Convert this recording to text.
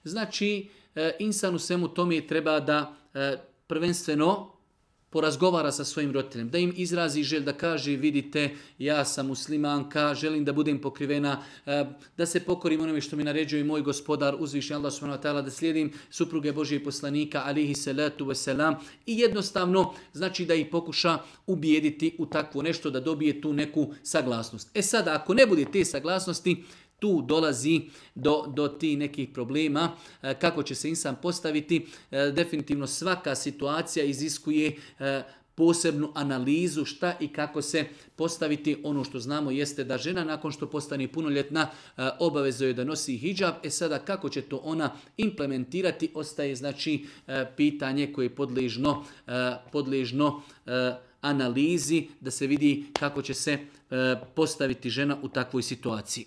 Znači, insan u svemu tome treba da prvenstveno porazgovara sa svojim roditeljem, da im izrazi želj, da kaže vidite ja sam muslimanka, želim da budem pokrivena, da se pokorim onome što mi naređuje moj gospodar uzvišeni Allah subhanahu wa ta'ala, da slijedim supruge Božijeg poslanika alihi salatu wasalam i jednostavno znači da ih pokuša ubijediti u takvo nešto, da dobije tu neku saglasnost. Sada ako ne bude te saglasnosti, tu dolazi do tih nekih problema, kako će se insan postaviti. Definitivno svaka situacija iziskuje posebnu analizu šta i kako se postaviti. Ono što znamo jeste da žena nakon što postane punoljetna obavezuje je da nosi hidžab. Sada kako će to ona implementirati ostaje znači pitanje koje je podležno analizi da se vidi kako će se postaviti žena u takvoj situaciji.